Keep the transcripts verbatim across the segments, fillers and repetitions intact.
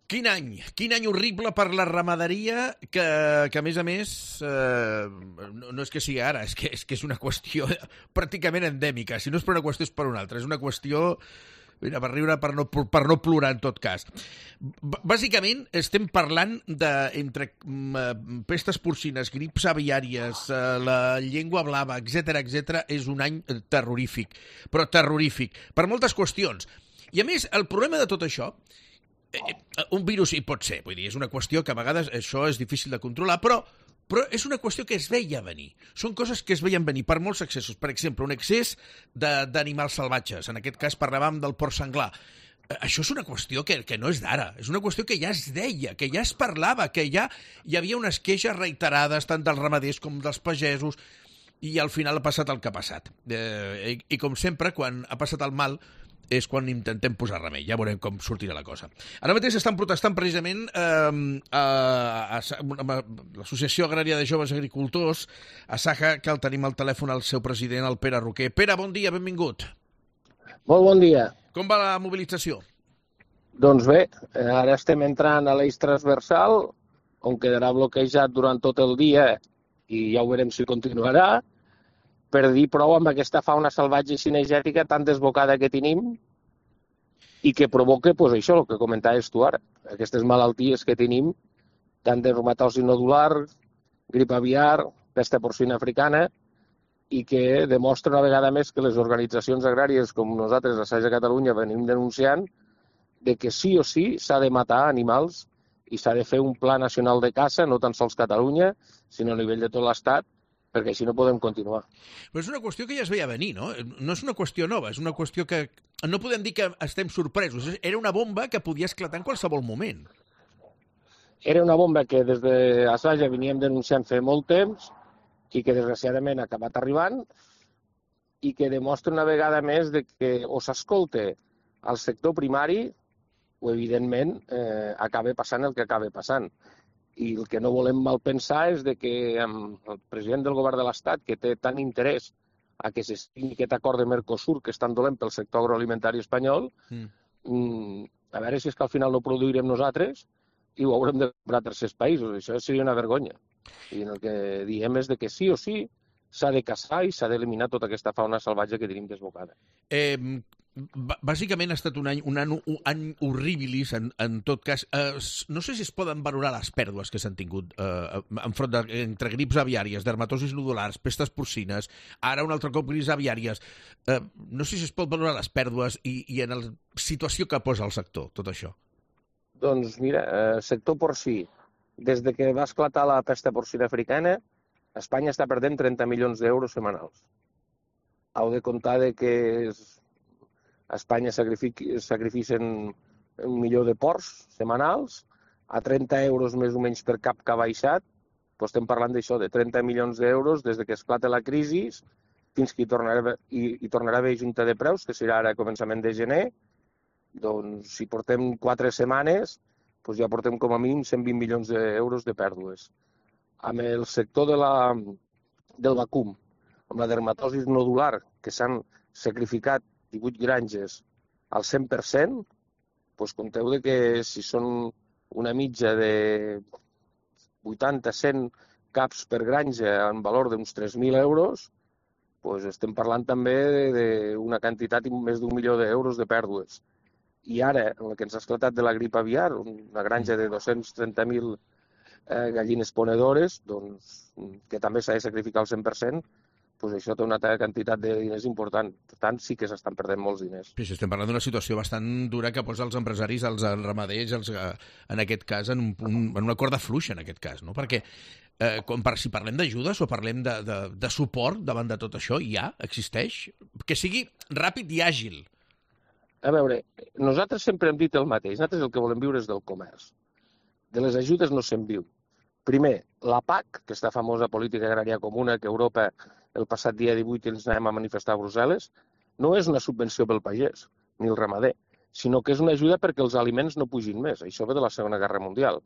Quin any, quin any horrible per la ramaderia que, que a més a més, eh, no, no és que sigui ara, és que, és que és una qüestió pràcticament endèmica. Si no és per una qüestió és per una altra. És una qüestió, mira, per riure, per no, per no plorar en tot cas. B bàsicament estem parlant de, entre mm, pestes porcines, grips aviàries, eh, la llengua blava, etcètera, etcètera, és un any terrorífic, però terrorífic, per moltes qüestions. I a més, el problema de tot això, Eh, un virus hi pot ser, vull dir, és una qüestió que a vegades això és difícil de controlar, però, però és una qüestió que es veia venir. Són coses que es veien venir per molts excessos. Per exemple, un excés d'animals salvatges. En aquest cas parlàvem del porc senglar. Això és una qüestió que, que no és d'ara. És una qüestió que ja es deia, que ja es parlava, que ja hi havia unes queixes reiterades tant dels ramaders com dels pagesos, i al final ha passat el que ha passat. Eh, i, I com sempre, quan ha passat el mal, és quan intentem posar remei. Ja veurem com sortirà la cosa. Ara mateix estan protestant precisament eh, a, a, a l'Associació Agrària de Joves Agricultors, a Saja, que el tenim al telèfon al seu president, el Pere Roquer. Pere, bon dia, benvingut. Molt bon dia. Com va la mobilització? Doncs bé, ara estem entrant a l'eix transversal, on quedarà bloquejat durant tot el dia, i ja ho veurem si continuarà, per dir prou amb aquesta fauna salvatge i cinegètica tan desbocada que tenim i que provoca, doncs això, el que comentaves tu ara, aquestes malalties que tenim, tant de reumatosi nodular, grip aviar, pesta porcina africana, i que demostra una vegada més que les organitzacions agràries com nosaltres, a Saja Catalunya, venim denunciant de que sí o sí s'ha de matar animals i s'ha de fer un pla nacional de caça, no tan sols Catalunya, sinó a nivell de tot l'Estat, perquè així no podem continuar. Però és una qüestió que ja es veia venir, no? No és una qüestió nova, és una qüestió que no podem dir que estem sorpresos. Era una bomba que podia esclatar en qualsevol moment. Era una bomba que des de Saja veníem denunciant fa molt temps i que desgraciadament ha acabat arribant i que demostra una vegada més de que o s'escolta al sector primari o, evidentment, eh, acaba passant el que acaba passant. I el que no volem mal pensar és de que el president del govern de l'Estat, que té tant interès a que s'estigui aquest acord de Mercosur, que és tan dolent pel sector agroalimentari espanyol, mm. a veure si és que al final no produirem nosaltres i ho haurem de comprar a tercers països. Això seria una vergonya. I el que diem és de que sí o sí s'ha de caçar i s'ha d'eliminar tota aquesta fauna salvatge que tenim desbocada. Eh, bàsicament ha estat un any, un any, un any horribilis, en, en tot cas. Eh, no sé si es poden valorar les pèrdues que s'han tingut eh, enfront de, entre grips aviàries, dermatosis nodulars, pestes porcines, ara un altre cop grips aviàries. Eh, no sé si es pot valorar les pèrdues i, i en la situació que posa el sector, tot això. Doncs mira, eh, sector porcí, des de que va esclatar la pesta porcina africana, Espanya està perdent trenta milions d'euros setmanals. Heu de comptar de que a Espanya sacrificen un milió de porcs setmanals, a trenta euros més o menys per cap que ha baixat, doncs estem parlant d'això, de trenta milions d'euros des de que esclata la crisi fins que hi tornarà, hi, hi tornarà a haver junta de preus, que serà ara a començament de gener. Doncs si portem quatre setmanes, doncs ja portem com a mínim cent vint milions d'euros de pèrdues. Amb el sector de la, del vacum, amb la dermatosi nodular, que s'han sacrificat divuit granges al cent per cent, doncs compteu de que si són una mitja de vuitanta a cent caps per granja en valor d'uns tres mil euros, doncs estem parlant també d'una quantitat més d'un milió d'euros de pèrdues. I ara, en el que ens ha esclatat de la grip aviar, una granja de dos-cents trenta mil eh, gallines ponedores, doncs, que també s'ha de sacrificar al cent per cent, doncs això té una quantitat de diners important. Per tant, sí que s'estan perdent molts diners. Sí, estem parlant d'una situació bastant dura que posa els empresaris, els ramaders, els, en aquest cas, en, un, un, en una corda fluixa, en aquest cas, no? Perquè eh, quan, per, si parlem d'ajudes o parlem de, de, de suport davant de tot això, ja existeix? Que sigui ràpid i àgil. A veure, nosaltres sempre hem dit el mateix. Nosaltres el que volem viure és del comerç. De les ajudes no se'n viu. Primer, la P A C, aquesta famosa política agrària comuna que Europa el passat dia divuit ens anem a manifestar a Brussel·les, no és una subvenció pel pagès, ni el ramader, sinó que és una ajuda perquè els aliments no pugin més. Això ve de la Segona Guerra Mundial.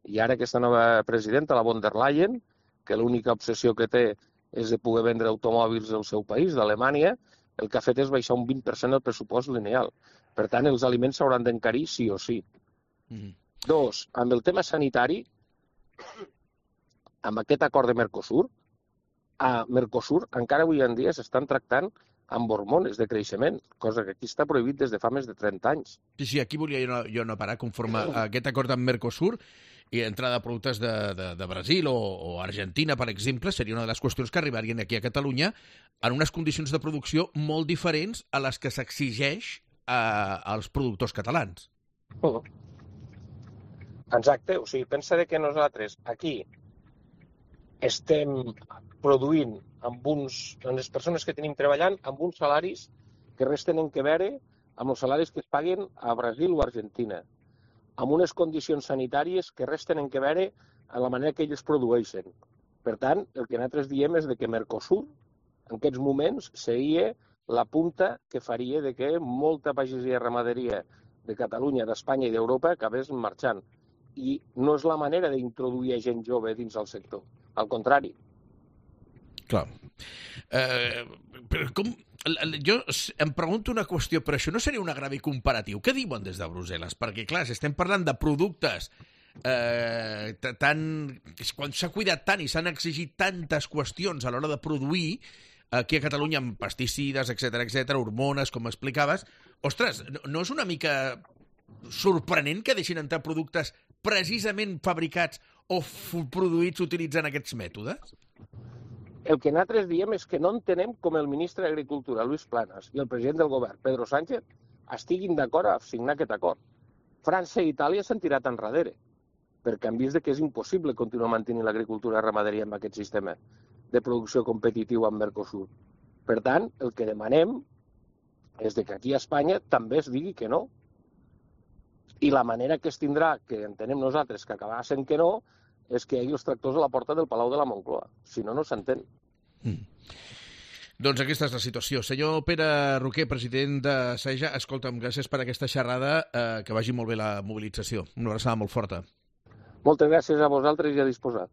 I ara aquesta nova presidenta, la von der Leyen, que l'única obsessió que té és de poder vendre automòbils del seu país, d'Alemanya, el que ha fet és baixar un vint per cent el pressupost lineal. Per tant, els aliments s'hauran d'encarir sí o sí. Mm. Dos, amb el tema sanitari, amb aquest acord de Mercosur, a Mercosur encara avui en dia s'estan tractant amb hormones de creixement, cosa que aquí està prohibit des de fa més de trenta anys. Sí, sí, aquí volia jo no, jo no parar, conforme a aquest acord amb Mercosur i entrada de productes de, de, de Brasil o, o Argentina, per exemple, seria una de les qüestions que arribarien aquí a Catalunya en unes condicions de producció molt diferents a les que s'exigeix a, als productors catalans. Uh -huh. Exacte, o sigui, pensa que nosaltres aquí estem produint amb uns, amb les persones que tenim treballant amb uns salaris que res tenen que veure amb els salaris que es paguen a Brasil o a Argentina, amb unes condicions sanitàries que res tenen que veure amb la manera que ells produeixen. Per tant, el que nosaltres diem és de que Mercosur, en aquests moments, seria la punta que faria de que molta pagesia i ramaderia de Catalunya, d'Espanya i d'Europa acabés marxant. I no és la manera d'introduir gent jove dins el sector. Al contrari. Clar. Eh, però com... Jo em pregunto una qüestió, però això no seria un agravi comparatiu? Què diuen des de Brussel·les? Perquè, clar, si estem parlant de productes eh, tan... quan s'ha cuidat tant i s'han exigit tantes qüestions a l'hora de produir, aquí a Catalunya amb pesticides, etcètera, etcètera, hormones, com explicaves, ostres, no, no és una mica sorprenent que deixin entrar productes precisament fabricats o produïts utilitzant aquests mètodes? El que nosaltres diem és que no entenem com el ministre d'Agricultura, Luis Planas, i el president del govern, Pedro Sánchez, estiguin d'acord a signar aquest acord. França i Itàlia s'han tirat enrere, perquè han vist que és impossible continuar mantenint l'agricultura i ramaderia amb aquest sistema de producció competitiu amb Mercosur. Per tant, el que demanem és que aquí a Espanya també es digui que no. I la manera que es tindrà, que entenem nosaltres que acabarà sent que no, és que hi hagi els tractors a la porta del Palau de la Moncloa. Si no, no s'entén. Mm. Doncs aquesta és la situació. Senyor Pere Roquer, president de SAEJA, escolta'm, gràcies per aquesta xerrada, eh, que vagi molt bé la mobilització. Una abraçada molt forta. Moltes gràcies a vosaltres i a disposar.